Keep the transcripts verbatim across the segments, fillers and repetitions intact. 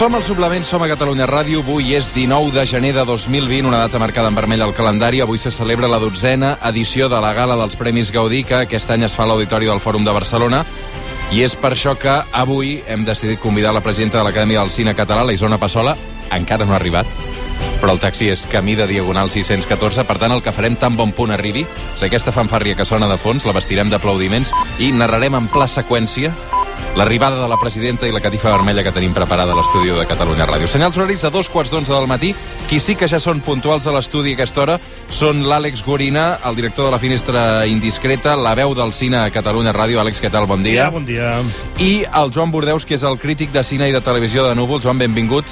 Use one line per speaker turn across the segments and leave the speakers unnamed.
Som al Suplement, som a Catalunya Ràdio. Avui és dinou de gener de dos mil vint, una data marcada en vermell al calendari. Avui se celebra la dotzena edició de la Gala dels Premis Gaudí, que aquest any es fa a l'Auditori del Fòrum de Barcelona. I és per això que avui hem decidit convidar la presidenta de l'Acadèmia del Cine Català, la Isona Passola. Encara no ha arribat, però el taxi és camí de Diagonal sis-cents catorze. Per tant, el que farem tan bon punt arribi és aquesta fanfàrria que sona de fons, la vestirem d'aplaudiments i narrarem en pla seqüència l'arribada de la presidenta i la catifa vermella que tenim preparada a l'estudi de Catalunya Ràdio. Senyals horaris de dos quarts d'onze del matí. Qui sí que ja són puntuals a l'estudi a aquesta hora són l'Àlex Gorina, el director de la Finestra Indiscreta, la veu del cine a Catalunya Ràdio. Àlex, què tal? Bon dia.
Bon dia.
I el Joan Bordeus, que és el crític de cine i de televisió de Núvol. Joan, benvingut.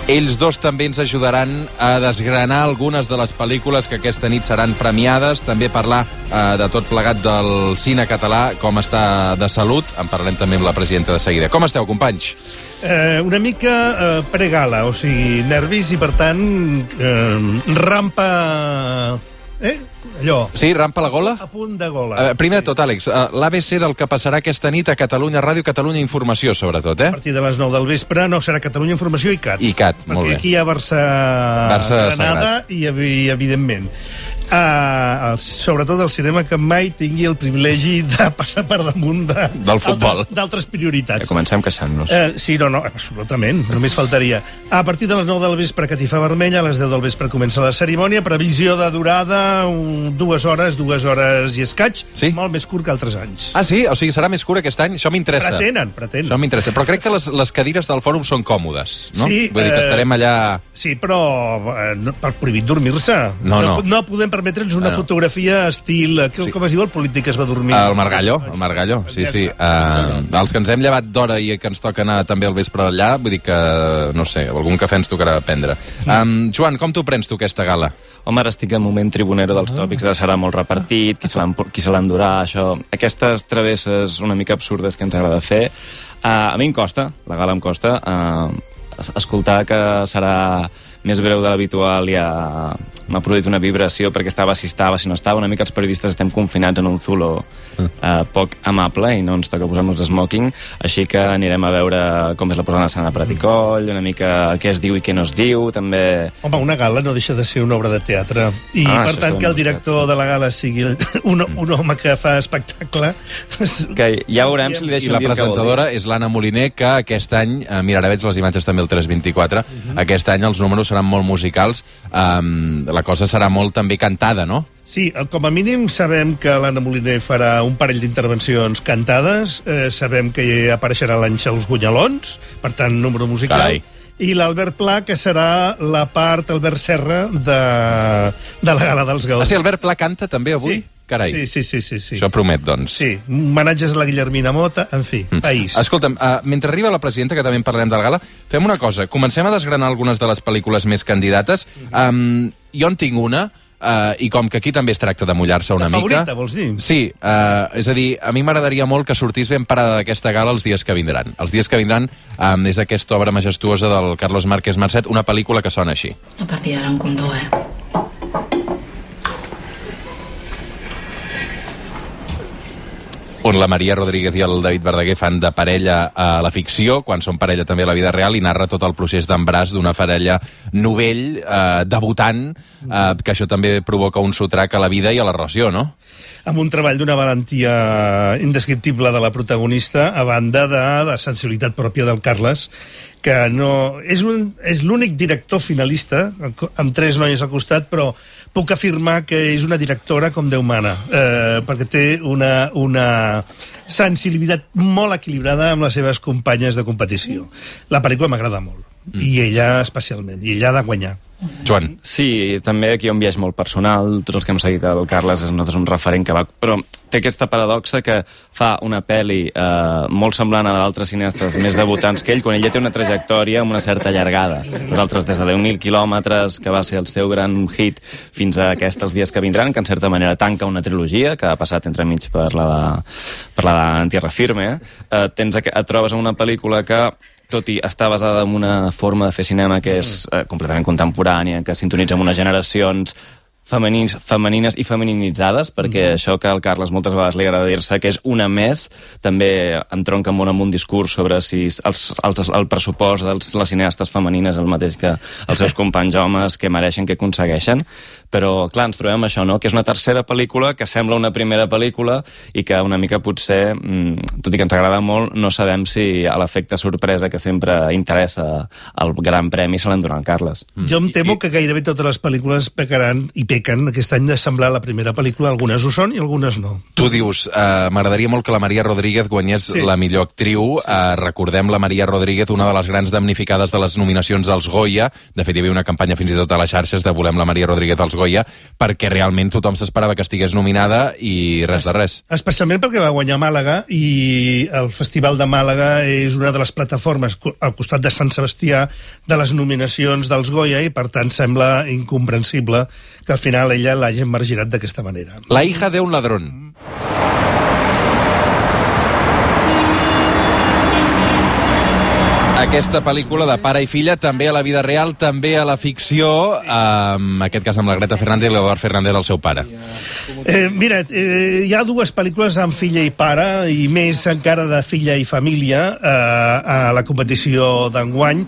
Ells dos també ens ajudaran a desgranar algunes de les pel·lícules que aquesta nit seran premiades, també parlar eh, de tot plegat del cine català, com està de salut. En parlarem també amb la presidenta de seguida. Com esteu, companys?
Eh, una mica eh, pregala, o sigui, nervis i, per tant, eh, rampa... Eh? Allò.
Sí, rampa la gola?
A punt de gola.
Uh, primer de tot, Àlex, uh, l'A B C del que passarà aquesta nit a Catalunya Ràdio, Catalunya Informació, sobretot, eh?
A partir de les nou del vespre no serà Catalunya Informació i C A T.
I C A T, molt bé.
Perquè aquí hi ha Barça,
Barça
Granada i, i, evidentment, uh, sobretot el cinema que mai tingui el privilegi de passar per damunt de,
del futbol,
d'altres prioritats.
Ja comencem queixant-nos.
Uh, sí, no, no, absolutament, només faltaria. A partir de les nou del vespre, catifa vermella, a les deu del vespre comença la cerimònia, previsió de durada, un, dues hores, dues hores i escaig,
sí?
Molt més curt que altres anys.
Ah, sí? O sigui, serà més curt aquest any? Això m'interessa.
Pretenen, pretenen.
Això m'interessa. Però crec que les, les cadires del fòrum són còmodes, no?
Sí.
Vull dir que estarem allà...
Sí, però eh, no, per prohibit dormir-se.
No, no.
No, no podem permetre'ns una
no.
fotografia estil... Sí. Com es diu el polític que es va dormir?
El Margallo, el Margallo, sí, sí. Uh, els que ens hem llevat d'hora i que ens toca anar també al vespre allà, vull dir que, no sé, algun cafè ens tocarà prendre. Um, Joan, com t'ho prens tu, aquesta gala?
Home, ara estic en moment tribunero dels tòpics de serà molt repartit, qui se l'endurà, això... Aquestes travesses una mica absurdes que ens agrada fer. Uh, a mi em costa, la gala em costa, uh, escoltar que serà més breu de l'habitual ja m'ha produït una vibració, perquè estava si estava, si no estava. Una mica els periodistes estem confinats en un zulo eh, poc amable i no ens toca posar-nos smoking, així que anirem a veure com és la posada en escena de Prat i Coll, una mica què es diu i què no es diu, també...
Home, una gala no deixa de ser una obra de teatre, i ah, per tant que el director de la gala sigui un, un home que fa espectacle...
Que ja veurem si li deixo
dir. I la presentadora és l'Anna Moliner, que aquest any, eh, mira, ara veig les imatges també el tres vint-i-quatre, uh -huh. aquest any els números seran molt musicals, um, la cosa serà molt també cantada, no?
Sí, com a mínim sabem que l'Anna Moliner farà un parell d'intervencions cantades, eh, sabem que apareixerà l'Àngel Gunyalons, per tant, número musical.
Carai.
I l'Albert Pla, que serà la part Albert Serra de, de la Gala dels Gaudí.
Ah, sí, Albert Pla canta també avui?
Sí.
Carai.
Sí, sí, sí, sí, sí.
Això promet, doncs.
Sí, homenatges a la Guillermina Mota, en fi, mm. país.
Escolta'm, uh, mentre arriba la presidenta, que també en parlarem de la gala, fem una cosa, comencem a desgranar algunes de les pel·lícules més candidates. Um, jo en tinc una, uh, i com que aquí també es tracta de mullar-se una
la
mica...
favorita, vols dir?
Sí, uh, és a dir, a mi m'agradaria molt que sortís ben parada d'aquesta gala els dies que vindran. Els dies que vindran um, és aquesta obra majestuosa del Carlos Márquez Marcet, una pel·lícula que sona així.
A partir d'ara un condó, eh?
On la Maria Rodríguez i el David Verdaguer fan de parella a la ficció, quan són parella també a la vida real, i narra tot el procés d'embràs d'una parella novell, eh, debutant, eh, que això també provoca un sotrac a la vida i a la relació, no?
Amb un treball d'una valentia indescriptible de la protagonista, a banda de la sensibilitat pròpia del Carles, que no... És, un, és l'únic director finalista, amb tres noies al costat, però puc afirmar que és una directora com Déu mana, eh, perquè té una, una sensibilitat molt equilibrada amb les seves companyes de competició. La pel·lícula m'agrada molt, mm. i ella especialment, i ella ha de guanyar.
Joan.
Sí, també aquí hi ha un viatge molt personal. Tots els que hem seguit el Carles és nosaltres un referent que va... Però té aquesta paradoxa que fa una pel·li eh, molt semblant a d'altres cineastes més debutants que ell, quan ella té una trajectòria amb una certa llargada. Nosaltres, des de deu mil quilòmetres, que va ser el seu gran hit, fins a aquests els dies que vindran, que en certa manera tanca una trilogia, que ha passat entremig per la de, per la de Tierra Firme, eh, tens, et trobes en una pel·lícula que tot i estar basada en una forma de fer cinema que és eh, completament contemporània, que sintonitza amb unes generacions, femenins, femenines i femininitzades, perquè mm. això que al Carles moltes vegades li agrada dir-se que és una més, també entronca molt amb un discurs sobre si els, els, el pressupost de les cineastes femenines és el mateix que els seus companys homes, que mereixen, que aconsegueixen, però clar, ens trobem això, no? Que és una tercera pel·lícula que sembla una primera pel·lícula i que una mica potser, tot i que ens agrada molt, no sabem si a l'efecte sorpresa que sempre interessa el Gran Premi se l'endurà el Carles.
Mm. Jo em temo I, que gairebé totes les pel·lícules pecaran i pequen aquest any de semblar la primera pel·lícula. Algunes ho són i algunes no.
Tu dius, uh, m'agradaria molt que la Maria Rodríguez guanyés sí. la millor actriu. Sí. Uh, recordem la Maria Rodríguez, una de les grans damnificades de les nominacions dels Goya. De fet, hi havia una campanya fins i tot a les xarxes de volem la Maria Rodríguez als Goya, perquè realment tothom s'esperava que estigués nominada i res de res.
Especialment perquè va guanyar Màlaga i el Festival de Màlaga és una de les plataformes al costat de Sant Sebastià de les nominacions dels Goya i per tant sembla incomprensible que al final ella l'hagi marginat d'aquesta manera.
La hija de un ladrón. Aquesta pel·lícula de pare i filla, també a la vida real, també a la ficció, en aquest cas amb la Greta Fernández i l'Eduard Fernández, el seu pare.
Eh, mira, eh, hi ha dues pel·lícules amb filla i pare, i més encara de filla i família, eh, a la competició d'enguany.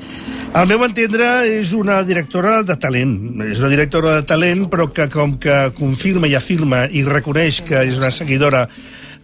Al meu entendre, és una directora de talent. És una directora de talent, però que com que confirma i afirma i reconeix que és una seguidora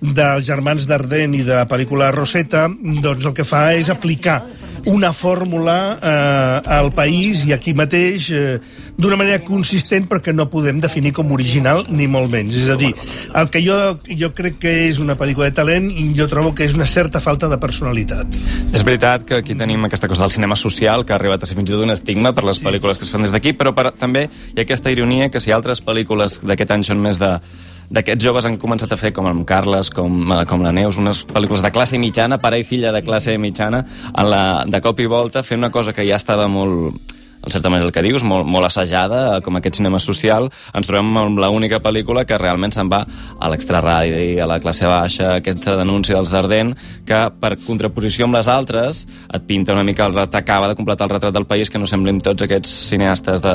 dels germans Dardenne i de la pel·lícula Rosetta, doncs el que fa és aplicar una fórmula eh, al país i aquí mateix eh, d'una manera consistent perquè no podem definir com original ni molt menys. És a dir, el que jo, jo crec que és una pel·lícula de talent, jo trobo que és una certa falta de personalitat.
És veritat que aquí tenim aquesta cosa del cinema social que ha arribat a ser fins i tot un estigma per les sí. pel·lícules que es fan des d'aquí, però per, també hi ha aquesta ironia que si altres pel·lícules d'aquest any són més de d'aquests joves han començat a fer, com el Carles, com, com la Neus, unes pel·lícules de classe mitjana, pare i filla de classe mitjana, en la, de cop i volta fent una cosa que ja estava molt, en certa manera el que dius, molt, molt assajada, com aquest cinema social, ens trobem amb l'única pel·lícula que realment se'n va a l'extraradi, a la classe baixa, aquesta denúncia dels Dardenne, que per contraposició amb les altres et pinta una mica el retrat, acaba de completar el retrat del país, que no semblin tots aquests cineastes de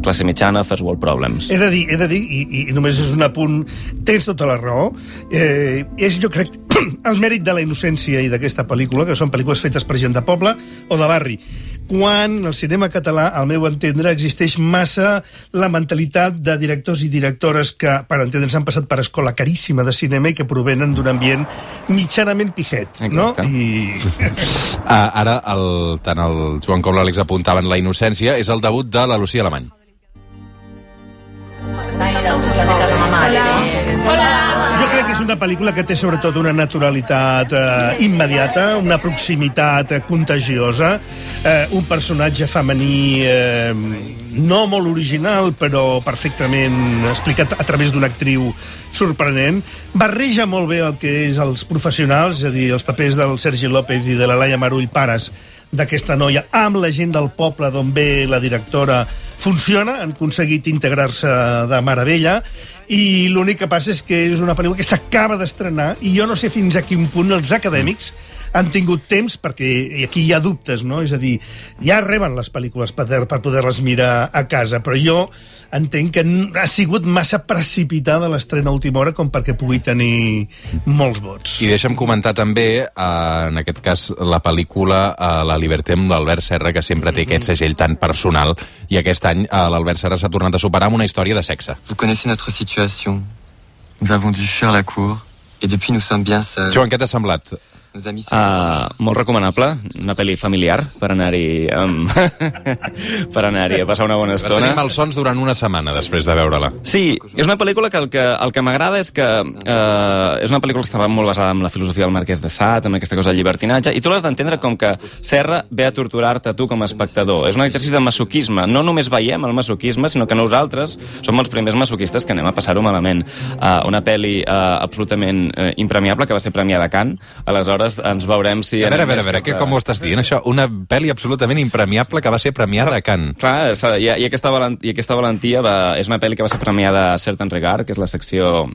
classe mitjana, first world problems.
He de dir, he de dir i, i només és un apunt, tens tota la raó, eh, és jo crec el mèrit de la innocència i d'aquesta pel·lícula, que són pel·lícules fetes per gent de poble o de barri, quan el cinema català, al meu entendre, existeix massa la mentalitat de directors i directores que, per entendre'ns, han passat per escola caríssima de cinema i que provenen d'un ambient mitjanament pijet, no? I...
Ah, ara, el, tant el Joan com l'Àlex apuntaven la innocència, és el debut de la Lucía Alemany.
Jo crec que és una pel·lícula que té sobretot una naturalitat eh, immediata, una proximitat eh, contagiosa, eh, un personatge femení eh, no molt original, però perfectament explicat a través d'una actriu sorprenent. Barreja molt bé el que és els professionals, és a dir, els papers del Sergi López i de la Laia Marull, pares d'aquesta noia, amb la gent del poble d'on ve la directora, funciona, han aconseguit integrar-se de meravella, i l'únic que passa és que és una pel·lícula que s'acaba d'estrenar, i jo no sé fins a quin punt els acadèmics han tingut temps, perquè aquí hi ha dubtes, no? És a dir, ja reben les pel·lícules per, per poder-les mirar a casa, però jo entenc que ha sigut massa precipitada l'estrena a última hora com perquè pugui tenir molts vots.
I deixa'm comentar també, eh, en aquest cas, la pel·lícula eh, La Liberté amb l'Albert Serra, que sempre té aquest segell tan personal, i aquest any eh, l'Albert Serra s'ha tornat a superar amb una història de sexe.
Vous connaissez notre situation. Nous avons dû fuir la cour, et depuis nous sommes bien seuls.
Joan, què t'ha semblat?
Uh, molt recomanable, una pel·li familiar per anar-hi um, per anar-hi a passar una bona estona.
Vas tenir malsons durant una setmana després de veure-la.
Sí, és una pel·lícula que el que, el que m'agrada és que uh, és una pel·lícula que estava molt basada en la filosofia del Marquès de Sade, en aquesta cosa de llibertinatge, i tu l'has d'entendre com que Serra ve a torturar-te a tu com a espectador. És un exercici de masoquisme. No només veiem el masoquisme, sinó que nosaltres som els primers masoquistes que anem a passar-ho malament. Uh, una pel·li uh, absolutament uh, impremiable, que va ser premiada a Cannes, aleshores aleshores ens veurem si...
A veure, a veure, a veure, que com ho estàs dient, això? Una pel·li absolutament impremiable que va ser premiada a Cannes.
Clar, i, i, aquesta valent, i aquesta valentia va, és una pel·li que va ser premiada a Certain Regard, que és la secció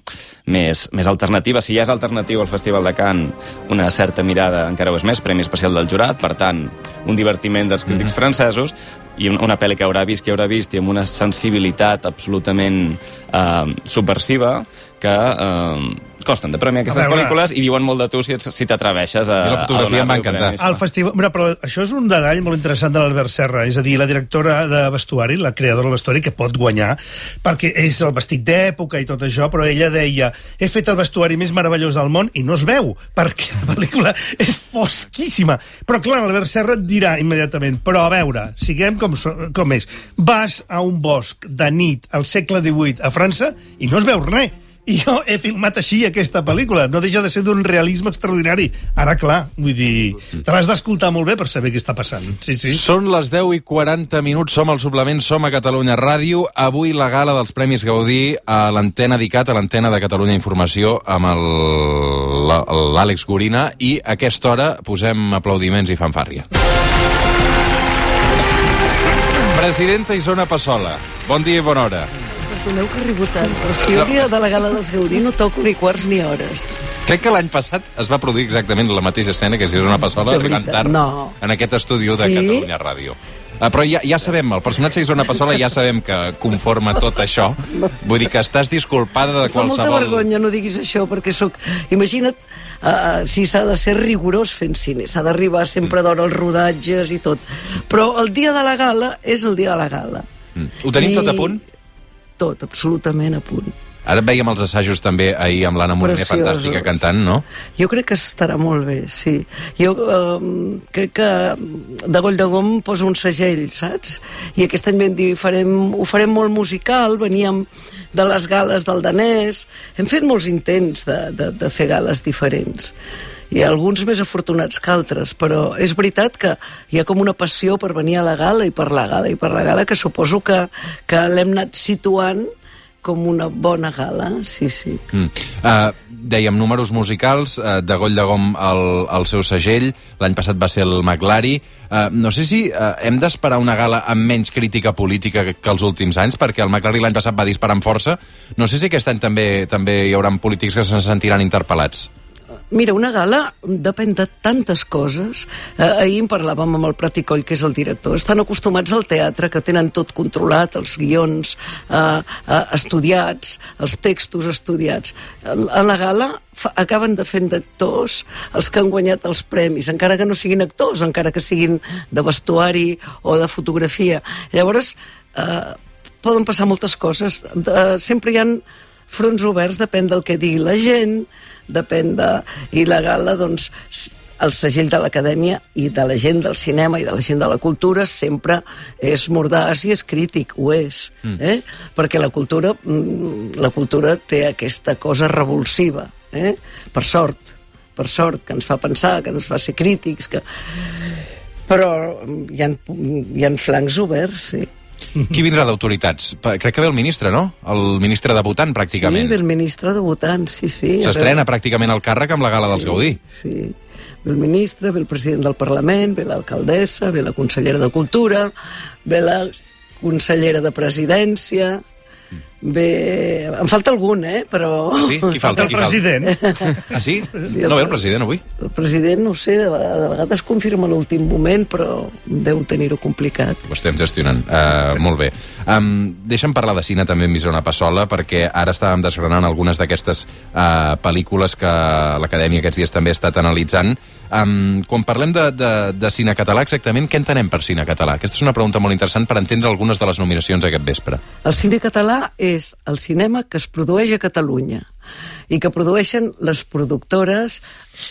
més, més alternativa. Si ja és alternatiu al Festival de Cannes, una certa mirada encara ho és més, Premi Especial del Jurat, per tant, un divertiment dels crítics mm-hmm. francesos, i una pel·li que haurà vist, que haurà vist, i amb una sensibilitat absolutament eh, subversiva, que eh, costen de premiar aquestes veure, pel·lícules i diuen molt de tu si, si t'atreveixes a...
I la fotografia em va encantar.
El festival... Mira, però això és un detall molt interessant de l'Albert Serra, és a dir, la directora de vestuari, la creadora del vestuari, que pot guanyar, perquè és el vestit d'època i tot això, però ella deia, he fet el vestuari més meravellós del món i no es veu, perquè la pel·lícula és fosquíssima. Però clar, l'Albert Serra et dirà immediatament, però a veure, siguem com, com és. Vas a un bosc de nit al segle divuit a França i no es veu res. I jo he filmat així aquesta pel·lícula. No deixa de ser d'un realisme extraordinari. Ara, clar, vull dir, te l'has d'escoltar molt bé per saber què està passant. Sí, sí.
Són les deu i quaranta minuts, som al suplement, som a Catalunya Ràdio. Avui la gala dels Premis Gaudí a l'antena d'ICAT, a l'antena de Catalunya Informació, amb l'Àlex Gorina, i a aquesta hora posem aplaudiments i fanfàrria. Presidenta Isona Passola, bon dia i bona hora.
Perdoneu que arribo tard, però és que jo el dia de la gala dels Gaudí no toco ni quarts ni hores.
Crec que l'any passat es va produir exactament la mateixa escena, que si és una Passola arribant tard
no.
en aquest estudi de
sí?
Catalunya Ràdio. Uh, però ja, ja sabem, el personatge d'Isona Passola ja sabem que conforma tot això. Vull dir que estàs disculpada de qualsevol...
Fa molta vergonya, no diguis això, perquè sóc... Imagina't uh, si s'ha de ser rigorós fent cine, s'ha d'arribar sempre d'hora als rodatges i tot. Però el dia de la gala és el dia de la gala.
Mm. Ho tenim I... tot a punt?
Tot, absolutament a punt.
Ara veiem els assajos també ahir amb l'Anna Moliner, fantàstica, cantant, no?
Jo crec que estarà molt bé, sí. Jo eh, crec que de Goll de Gom posa un segell, saps? I aquest any vam dir, farem, ho farem molt musical, veníem de les gales del danès, hem fet molts intents de, de, de fer gales diferents. I alguns més afortunats que altres, però és veritat que hi ha com una passió per venir a la gala i per la gala i per la gala, que suposo que, que l'hem anat situant com una bona gala, sí, sí.
Mm. Uh, dèiem, números musicals, uh, de Goll de Gom el, el seu segell, l'any passat va ser el McLary. Uh, no sé si uh, hem d'esperar una gala amb menys crítica política que, que els últims anys, perquè el McLary l'any passat va disparar amb força. No sé si aquest any també, també hi haurà polítics que se sentiran interpel·lats.
Mira, una gala depèn de tantes coses. Eh, ahir en parlàvem amb el Prat i Coll, que és el director. Estan acostumats al teatre, que tenen tot controlat, els guions eh, eh, estudiats, els textos estudiats. A la gala fa, acaben de fent d'actors els que han guanyat els premis, encara que no siguin actors, encara que siguin de vestuari o de fotografia. Llavors, eh, poden passar moltes coses. De, sempre hi ha fronts oberts, depèn del que digui la gent, depèn de... I la gala, doncs, el segell de l'Acadèmia i de la gent del cinema i de la gent de la cultura sempre és mordaç i és crític, ho és. Mm. Eh? Perquè la cultura, la cultura té aquesta cosa revulsiva, eh? Per sort, per sort, que ens fa pensar, que ens fa ser crítics, que... però hi ha, hi ha flancs oberts, sí.
Qui vindrà d'autoritats? Crec que ve el ministre, no? El ministre debutant, pràcticament.
Sí, ve el ministre debutant, sí, sí.
S'estrena pràcticament el càrrec amb la gala dels
sí,
Gaudí.
Sí, ve el ministre, ve el president del Parlament, ve l'alcaldessa, ve la consellera de Cultura, ve la consellera de Presidència... Bé, em falta algun, eh? Però...
Ah, sí? Qui falta?
El
Qui
president.
Falta? Ah, sí? sí el... No ve el president avui?
El president, no ho sé, de vegades confirma l'últim moment, però deu tenir-ho complicat.
Ho estem gestionant. Uh, molt bé. Um, deixa'm parlar de cine també amb Isona Passola, perquè ara estàvem desgranant algunes d'aquestes uh, pel·lícules que l'Acadèmia aquests dies també ha estat analitzant. Um, quan parlem de, de, de cine català, exactament què entenem per cine català? Aquesta és una pregunta molt interessant per entendre algunes de les nominacions aquest vespre.
El cine català és el cinema que es produeix a Catalunya i que produeixen les productores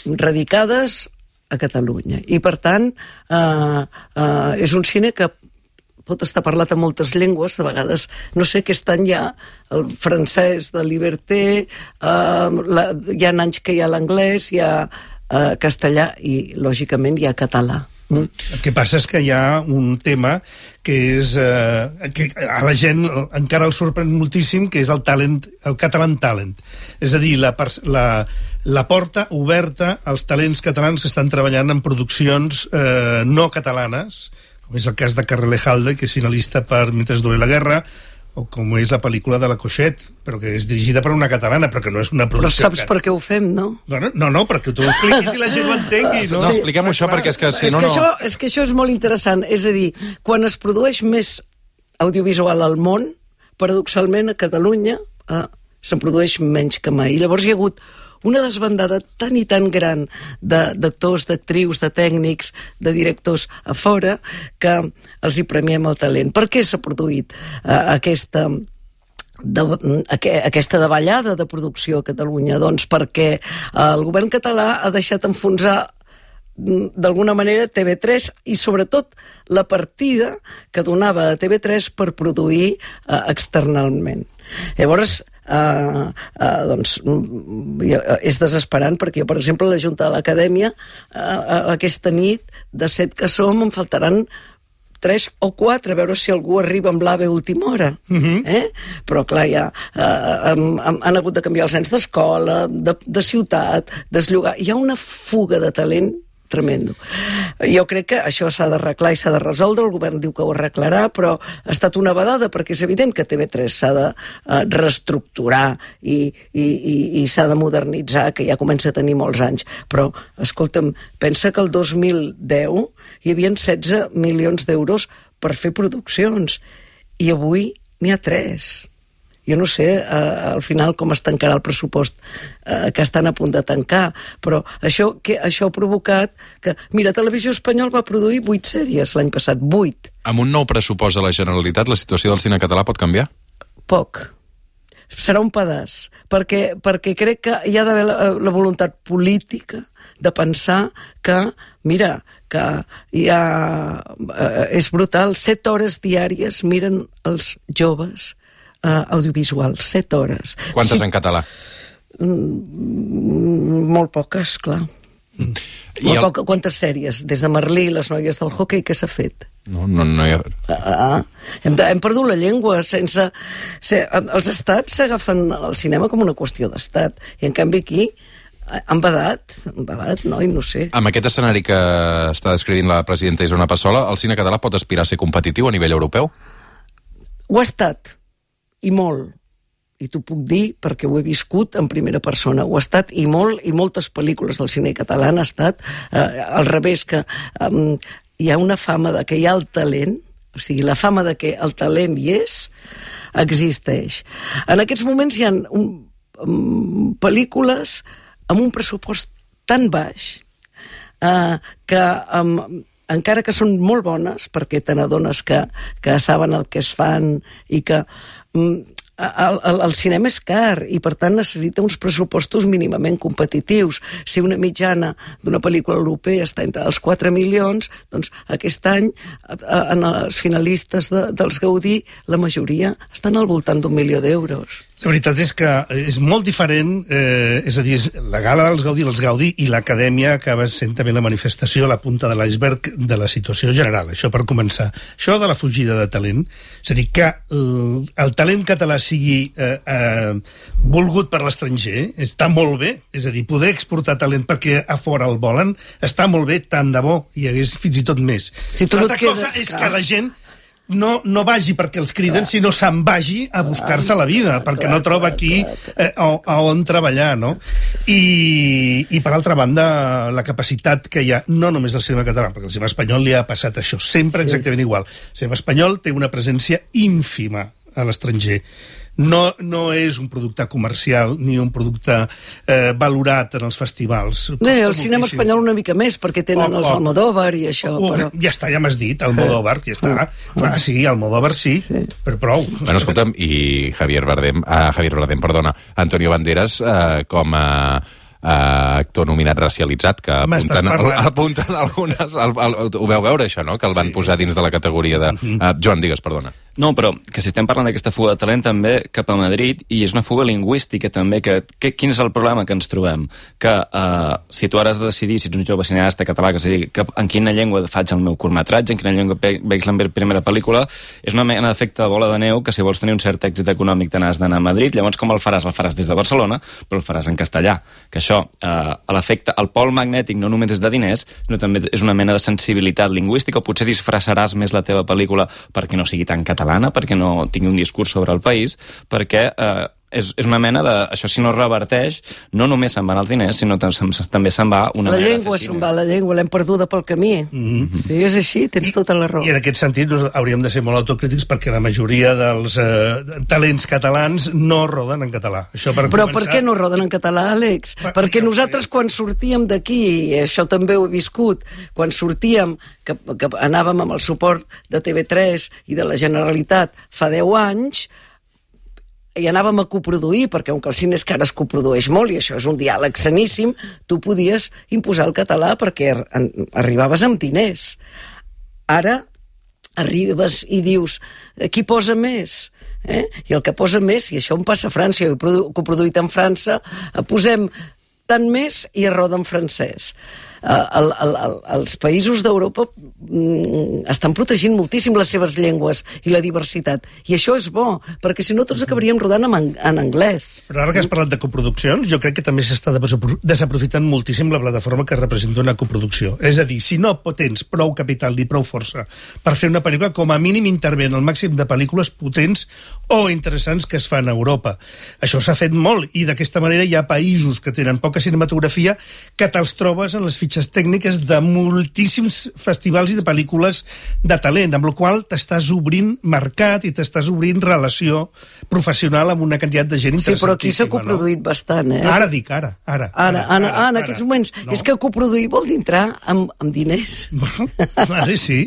radicades a Catalunya. I, per tant, eh, eh, és un cine que pot estar parlat en moltes llengües, de vegades, no sé, aquest any hi ha el francès de Liberté, eh, la, hi ha anys que hi ha l'anglès, hi ha eh, castellà i, lògicament, hi ha català.
Mm. El que passa és que hi ha un tema que és eh, que a la gent encara el sorprèn moltíssim, que és el talent, el catalan talent. És a dir, la, la, la porta oberta als talents catalans que estan treballant en produccions eh, no catalanes, com és el cas de Carrelejalde, que és finalista per Mientras dure la guerra, o com és la pel·lícula de la Coixet, però que és dirigida per una catalana, però que no és una producció...
Però saps per què ho fem, no?
Bueno, no, no, perquè tu ho expliquis i la gent ho entengui, no?
No, expliquem això perquè és que si
és
no,
que
no...
Això, és que això és molt interessant. És a dir, quan es produeix més audiovisual al món, paradoxalment a Catalunya eh, se'n produeix menys que mai. I llavors hi ha hagut una desbandada tan i tan gran d'actors, d'actrius, de tècnics, de directors a fora, que els hi premiem el talent. Per què s'ha produït eh, aquesta... De, aquesta davallada de producció a Catalunya? Doncs perquè el govern català ha deixat enfonsar d'alguna manera T V tres i sobretot la partida que donava a T V tres per produir eh, externalment. Llavors, Uh, uh, doncs és desesperant, perquè jo, per exemple, a la Junta de l'Acadèmia uh, aquesta nit, de set que som, em faltaran tres o quatre, a veure si algú arriba amb l'AVE a última hora. Uh-huh. eh? Però clar, ja uh, han, han hagut de canviar els anys d'escola, de, de ciutat, desllogar. Hi ha una fuga de talent tremendo. Jo crec que això s'ha d'arreglar i s'ha de resoldre, el govern diu que ho arreglarà, però ha estat una vedada, perquè és evident que T V tres s'ha de uh, reestructurar i, i, i, i s'ha de modernitzar, que ja comença a tenir molts anys. Però, escolta'm, pensa que el dos mil deu hi havia setze milions d'euros per fer produccions, i avui n'hi ha tres. Jo no sé eh, al final com es tancarà el pressupost eh, que estan a punt de tancar, però això, que, això ha provocat que... Mira, Televisió Espanyola va produir vuit sèries l'any passat, vuit.
Amb un nou pressupost a la Generalitat, la situació del cine català pot canviar?
Poc. Serà un pedaç, perquè, perquè crec que hi ha d'haver la, la voluntat política de pensar que, mira, que hi ha... Eh, és brutal, set hores diàries miren els joves Uh, audiovisual, set hores.
Quantes
sí,
en català?
Mm, molt poques, clar. Mm. Molt el... poca, quantes sèries? Des de Merlí, les noies del hoquei, què s'ha fet?
No, no, no hi ha...
Ah, hem, de, hem perdut la llengua sense... Se, els estats s'agafen el cinema com una qüestió d'estat, i en canvi aquí han badat, han badat, no? I no sé.
Amb aquest escenari que està descrivint la presidenta Isona Passola, el cine català pot aspirar a ser competitiu a nivell europeu?
Ho ha estat. I molt, i t'ho puc dir perquè ho he viscut en primera persona, ho ha estat i molt, i moltes pel·lícules del cine català han estat eh, al revés, que eh, hi ha una fama de que hi ha el talent, o sigui, la fama de que el talent hi és, existeix. En aquests moments hi ha un, um, pel·lícules amb un pressupost tan baix eh, que... Um, encara que són molt bones, perquè te n'adones que, que saben el que es fan i que mm, el, el, el cinema és car i per tant necessita uns pressupostos mínimament competitius. Si una mitjana d'una pel·lícula europea està entre els quatre milions, doncs aquest any en els finalistes de, dels Gaudí la majoria estan al voltant d'un milió d'euros.
La veritat és que és molt diferent, eh, és a dir, la gala dels Gaudí, els Gaudí i l'Acadèmia acaba sent també la manifestació, la punta de l'iceberg de la situació general, això per començar. Això de la fugida de talent, és a dir, que el, el talent català sigui eh, eh, volgut per l'estranger, està molt bé, és a dir, poder exportar talent perquè a fora el volen, està molt bé, tant de bo, hi hagués fins i tot més.
Si tu no
L'altra
quedes,
cosa és
clar.
que la gent no, no vagi perquè els criden, clar, sinó se'n vagi a buscar-se la vida, clar, perquè clar, no troba aquí eh, a, a on treballar, no? I, i per altra banda, la capacitat que hi ha, no només del cinema català, perquè el cinema espanyol li ha passat això, sempre sí, exactament igual. El cinema espanyol té una presència ínfima a l'estranger. No, no és un producte comercial ni un producte eh, valorat en els festivals.
Bé, el cinema espanyol una mica més, perquè tenen oh, els oh, Almodóvar i això.
Oh,
però...
Ja està, ja m'has dit, Almodóvar, ja està. Oh, clar, sí, Almodóvar sí, sí, però prou.
Bueno, escolta'm, i Javier Bardem, ah, Javier Bardem, perdona, Antonio Banderas, eh, com a actor nominat racialitzat, que apunten, apunten algunes... El, el, ho veu veure, això, no?, que el van sí. posar dins de la categoria de... Uh, Joan, digues, perdona.
No, però que si estem parlant d'aquesta fuga de talent també cap a Madrid, i és una fuga lingüística també, que, que quin és el problema que ens trobem? Que uh, si tu ara has de decidir, si ets un jove cineasta català, que, sigui, que en quina llengua faig el meu curtmetratge, en quina llengua veig la meva primera pel·lícula, és una mena d'efecte de bola de neu, que si vols tenir un cert èxit econòmic te n'has d'anar a Madrid, llavors com el faràs? El faràs des de Barcelona, però el faràs en castellà. Que això, uh, l'efecte, el pol magnètic no només és de diners, sinó també és una mena de sensibilitat lingüística, o potser disfressaràs més la teva pel·lícula perquè no sigui tan català, perquè no tingui un discurs sobre el país, perquè eh, és, és una mena de... Això, si no reverteix, no només se'n van els diners, sinó també se'n va una
la
mena
llengua
de
se'n va, la llengua, l'hem perduda pel camí. Mm-hmm. Sí, és així, tens tota la raó.
I en aquest sentit doncs, hauríem de ser molt autocrítics perquè la majoria dels eh, talents catalans no roden en català. Això per
Però
començar...
per què no roden en català, Àlex? Per, perquè nosaltres quan sortíem d'aquí, i això també ho he viscut, quan sortíem, que, que anàvem amb el suport de T V tres i de la Generalitat fa deu anys, i anàvem a coproduir, perquè com que el cine és que ara es coprodueix molt, i això és un diàleg saníssim, tu podies imposar el català perquè arribaves amb diners. Ara arribes i dius, qui posa més? Eh? I el que posa més, i això em passa a França, jo he coproduït en França, posem tant més i es roda en francès. Uh, el, el, el, els països d'Europa mm, estan protegint moltíssim les seves llengües i la diversitat, i això és bo, perquè si no tots acabaríem rodant en, en anglès.
Però ara que has parlat de coproduccions, jo crec que també s'està desaprofitant moltíssim la plataforma que representa una coproducció. És a dir, si no tens prou capital ni prou força per fer una pel·lícula, com a mínim intervenen el màxim de pel·lícules potents o interessants que es fan a Europa. Això s'ha fet molt, i d'aquesta manera hi ha països que tenen poca cinematografia que te'ls trobes en les fitxes tècniques de moltíssims festivals i de pel·lícules de talent, amb la qual t'estàs obrint mercat i t'estàs obrint relació professional amb una quantitat de gent interessantíssima.
Sí, però aquí s'ha coproduït no? bastant, eh?
Ara dic, ara. Ara,
ara, ara, ara, ara, ara en aquests moments. No. És que coproduir vol dir entrar amb, amb diners.
Vale, sí.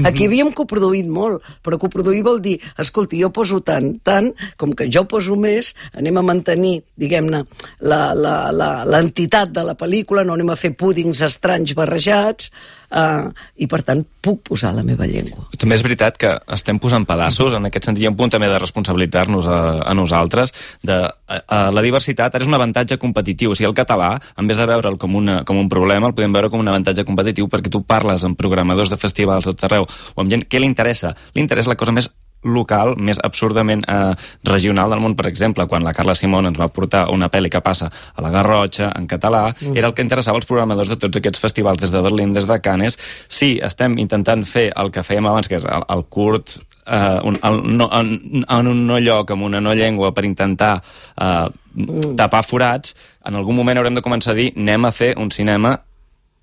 Aquí havíem coproduït molt, però coproduir vol dir, escolti, jo poso tant, tant, com que jo poso més, anem a mantenir, diguem-ne, l'entitat de la pel·lícula, no anem a fer púdings estranys barrejats, uh, i per tant puc posar la meva llengua.
També és veritat que estem posant pedaços, en aquest sentit hi ha un punt també de responsabilitzar-nos a, a nosaltres, de a, a la diversitat ara és un avantatge competitiu, o sigui, el català, en vez de veure'l com, una, com un problema, el podem veure com un avantatge competitiu perquè tu parles amb programadors de festivals tot arreu, o amb gent, què li interessa? Li interessa la cosa més local, més absurdament eh, regional del món. Per exemple, quan la Carla Simón ens va portar una pel·li que passa a la Garrotxa, en català, mm. era el que interessava als programadors de tots aquests festivals, des de Berlín, des de Cannes. Sí, estem intentant fer el que fèiem abans, que és el, el curt, eh, un, el, no, en, en un no lloc, amb una no llengua, per intentar eh, mm. tapar forats. En algun moment haurem de començar a dir, anem a fer un cinema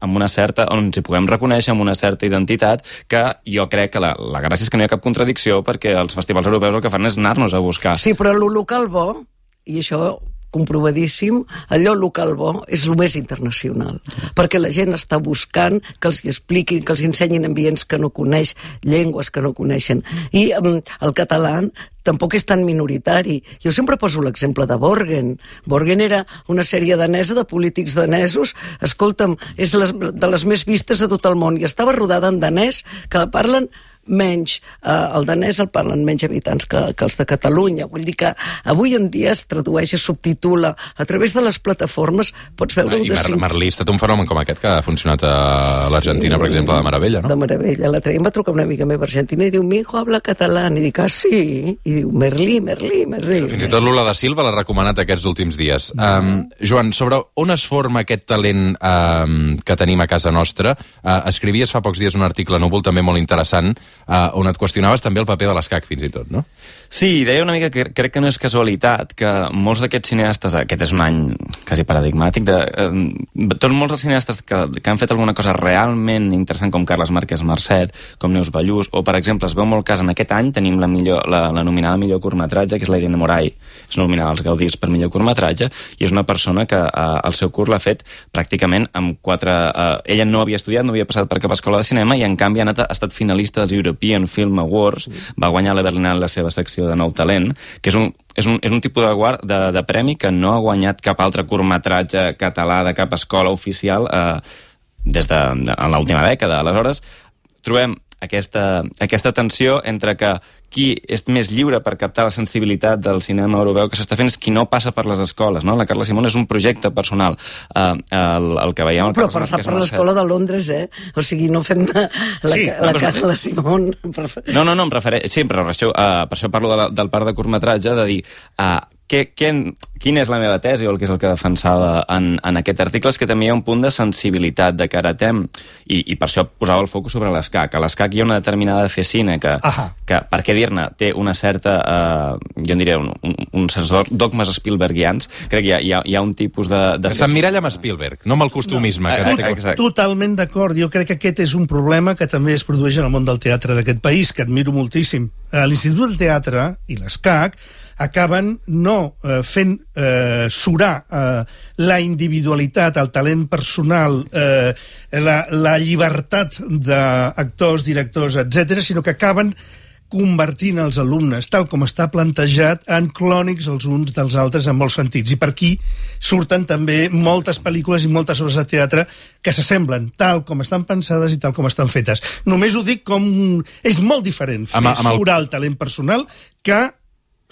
amb una certa, on ens hi puguem reconèixer, amb una certa identitat, que jo crec que la, la gràcia és que no hi ha cap contradicció, perquè els festivals europeus el que fan és anar-nos a buscar.
Sí, però el local bo, i això comprovadíssim, allò local bo és el més internacional, perquè la gent està buscant que els expliquin, que els ensenyin ambients que no coneix, llengües que no coneixen. I um, el català tampoc és tan minoritari. Jo sempre poso l'exemple de Borgen. Borgen era una sèrie danesa de polítics danesos. Escolta'm, és les, de les més vistes de tot el món, i estava rodada en danès, que parlen menys, eh, el danès el parlen menys habitants que, que els de Catalunya. Vull dir que avui en dia es tradueix, es subtitula a través de les plataformes, pots veure...
Ah, I Mar Merlí ha estat un fenomen com aquest que ha funcionat a l'Argentina, per exemple, de meravella, no?
De meravella. L'altre dia em va trucar una amiga meva argentina i diu, mi hijo habla català, i dic, ah, sí? I diu, Merlí, Merlí, Merlí.
Fins i tot Lula da Silva l'ha recomanat aquests últims dies. Um, Joan, sobre on es forma aquest talent um, que tenim a casa nostra, uh, escrivies fa pocs dies un article a Núvol també molt interessant, Uh, on et qüestionaves també el paper de l'escac, fins i tot, no?
Sí, deia una mica que crec que no és casualitat que molts d'aquests cineastes, aquest és un any quasi paradigmàtic, de, eh, tots molts dels cineastes que, que han fet alguna cosa realment interessant, com Carles Márquez Marcet, com Neus Ballús, o per exemple, es veu molt cas en aquest any, tenim la, millor, la, la nominada millor curtmetratge, que és la Irene Moray, és nominada als Gaudís per millor curtmetratge, i és una persona que eh, el seu curt l'ha fet pràcticament amb quatre... Eh, ella no havia estudiat, no havia passat per cap escola de cinema, i en canvi ha, anat, ha estat finalista dels European Film Awards, va guanyar la Berlinale la seva secció de nou talent, que és un, és un, és un tipus de, guard, de, de premi que no ha guanyat cap altre curtmetratge català de cap escola oficial eh, des de en l'última dècada. Aleshores, trobem aquesta, aquesta tensió entre que qui és més lliure per captar la sensibilitat del cinema europeu que s'està fent és qui no passa per les escoles, no? La Carla Simón és un projecte personal. Uh, el, el que veiem... El
Però passar per l'escola de Londres, eh? O sigui, no fem de la, sí, la Carla Simón...
No, no, no, em refereix... Sí, però per això, uh, per això parlo de la, del parc de curtmetratge, de dir... Uh, què, què, quina és la meva tesi, o el que és el que defensava en, en aquest article, és que també hi ha un punt de sensibilitat, de karatem, i, i per això posava el focus sobre l'escac. A l'escac hi ha una determinada de fer cine que, que per què dir-ne, té una certa, eh, jo en diria, un, un, un certs dogmes Spielbergians. Crec que hi ha, hi ha, hi ha un tipus de... de
S'emmiralla amb Spielberg, no amb el costumisme.
No,
que
tot, totalment d'acord. Jo crec que aquest és un problema que també es produeix en el món del teatre d'aquest país, que admiro moltíssim. L'Institut del Teatre i l'ESCAC acaben no eh, fent eh, surar eh, la individualitat, el talent personal, eh, la, la llibertat d'actors, directors, etcètera, sinó que acaben convertint els alumnes, tal com està plantejat, en clònics els uns dels altres en molts sentits. I per aquí surten també moltes pel·lícules i moltes obres de teatre que s'assemblen, tal com estan pensades i tal com estan fetes. Només ho dic com... És molt diferent fer amb, amb el... surar el talent personal que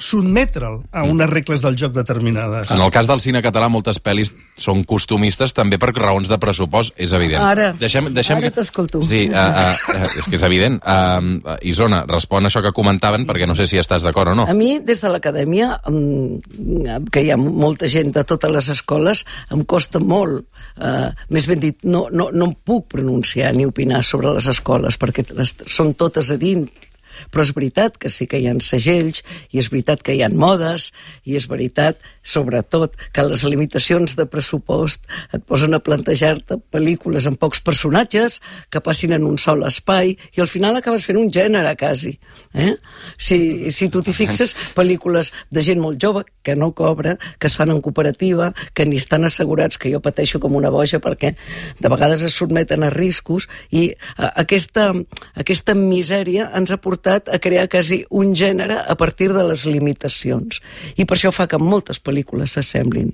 sotmetre'l a unes regles del joc determinades.
En el cas del cine català, moltes pel·lis són costumistes també per raons de pressupost, és evident.
Ara,
deixem, deixem
ara
que...
t'escolto.
Sí, uh, uh, és que és evident. Uh, Isona, respon a això que comentaven, perquè no sé si estàs d'acord o no.
A mi, des de l'acadèmia, que hi ha molta gent de totes les escoles, em costa molt, uh, més ben dit, no, no, no em puc pronunciar ni opinar sobre les escoles, perquè les, són totes a dins. Però és veritat que sí que hi ha segells, i és veritat que hi ha modes, i és veritat, sobretot, que les limitacions de pressupost et posen a plantejar-te pel·lícules amb pocs personatges que passin en un sol espai, i al final acabes fent un gènere, quasi. Eh? Si, si tu t'hi fixes, pel·lícules de gent molt jove, que no cobra, que es fan en cooperativa, que ni estan assegurats, que jo pateixo com una boja, perquè de vegades es sotmeten a riscos, i a, aquesta, aquesta misèria ens ha portat a crear quasi un gènere a partir de les limitacions. I per això fa que moltes pel·lícules s'assemblin.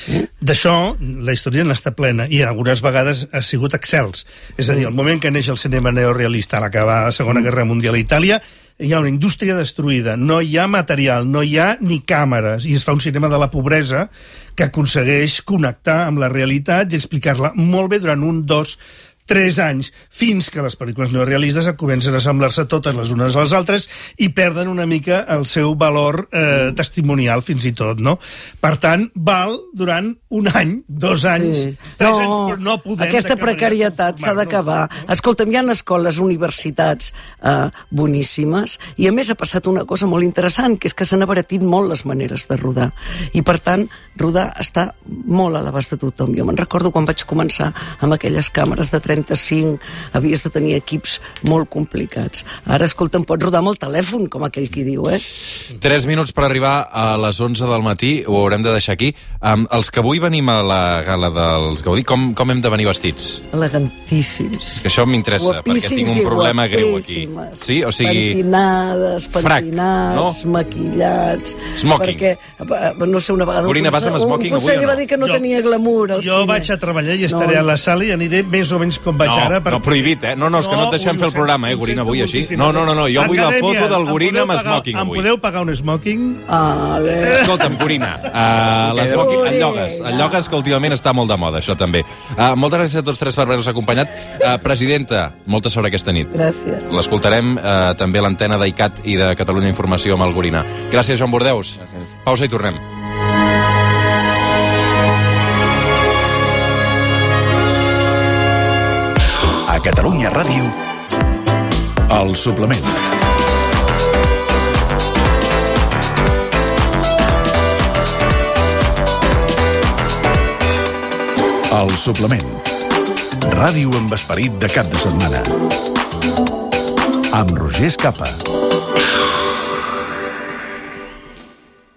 Eh?
D'això, la història n'està plena, i algunes vegades ha sigut excels. És a dir, el moment que neix el cinema neorealista a l'acabar la Segona Guerra Mundial a Itàlia, hi ha una indústria destruïda, no hi ha material, no hi ha ni càmeres, i es fa un cinema de la pobresa que aconsegueix connectar amb la realitat i explicar-la molt bé durant un, dos, tres anys, fins que les pel·lícules neorealistes comencen a assemblar-se totes les unes a les altres i perden una mica el seu valor eh, testimonial, fins i tot, no? Per tant, val durant un any, dos anys, sí. tres no, anys, però no podem...
Aquesta precarietat s'ha d'acabar. No? Escolta'm, hi ha escoles, universitats eh, boníssimes, i a més ha passat una cosa molt interessant, que és que s'han abaratit molt les maneres de rodar. I per tant, rodar està molt a l'abast de tothom. Jo me'n recordo quan vaig començar amb aquelles càmeres de trenta-cinc, havies de tenir equips molt complicats. Ara, escolta, em pots rodar amb el telèfon, com aquell qui diu, eh?
Tres minuts per arribar a les onze del matí, ho haurem de deixar aquí. Um, els que avui venim a la gala dels Gaudí, com, com hem de venir vestits?
Elegantíssims.
Que això m'interessa, perquè tinc un problema greu aquí. Sí? O sigui...
Pentinades, pentinats, no? Maquillats...
Smoking.
Perquè, no sé, una vegada...
Corina, vas amb smoking avui o no?
Va dir que no jo, tenia glamour al
jo
cine.
Vaig a treballar i estaré no. a la sala i aniré més o menys com vaig
no,
ara. Per...
No, prohibit, eh? No, no, és que no et deixem no, fer el programa, eh, Gorina, avui així. No, no, no, no, jo vull la foto del Gorina amb smoking avui.
Em podeu pagar un smoking?
Ah,
escolta'm, Gorina, uh, l'esmoking, el llogues, el llogues que últimament està molt de moda, això també. Uh, moltes gràcies a tots tres per haver-nos acompanyat. Uh, presidenta, molta sort aquesta nit.
Gràcies.
L'escoltarem uh, també a l'antena d'I C A T i de Catalunya Informació amb el Gorina. Gràcies, Joan Bordeus.
Gràcies.
Pausa i tornem.
A Catalunya Ràdio, El Suplement. El Suplement. Ràdio amb esperit de cap de setmana. Amb Roger Escapa.